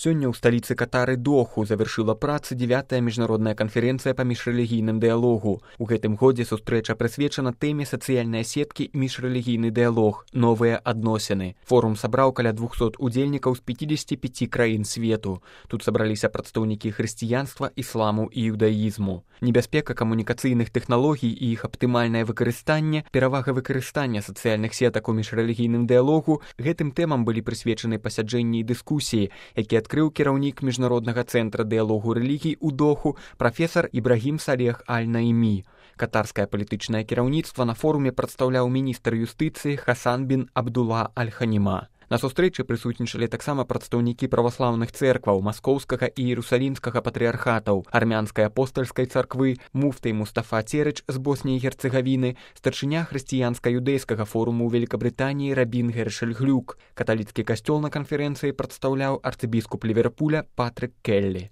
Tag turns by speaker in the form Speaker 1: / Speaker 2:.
Speaker 1: Сёння ў сталіцы Катары Доху завяршыла працы 9-я міжнародная канферэнцыя па міжрэлігійным дыялогу. У гэтым годзе сустрэча прысвечана тэме сацыяльныя сеткі і міжрэлігійны дыялог, новыя адносіны. Форум сабраў каля 200 удзельнікаў з 55 краін свету. Тут сабраліся прадстаўнікі хрысціянства, ісламу і іудаізму. Небяспека камунікацыйных тэхналогій і іх аптымальнае выкарыстанне, перавага выкарыстання сацыяльных сетак у міжрэлігійным дыялогу — гэтым тэмам былі прысвечаны пасяджэнні і дыскусіі, які адкрыў кіраўнік міжнароднага цэнтра дыялогу рэлігій у Доху прафесар Ібрагім Салех Аль-Наімі. Катарскае палітычнае кіраўніцтва на форуме прадстаўляў міністр юстыцыі Хасан бін Абдулла Аль-Ханіма. На сустрэчы прысутнічалі таксама прадстаўнікі праваслаўных цэркваў маскоўскага і іерусалімскага патрыархатаў, армянскай апостальскай царквы, муфтай Мустафа Церыч з Босніі і Герцэгавіны, старшыня хрысціянска-юдэйскага форуму ў Великабрытаніі Рабін Гершель Глюк. Каталіцкі касцёл на канферэнцыі прадстаўляў арцыбіскуп Ліверпуля Патрык Келлі.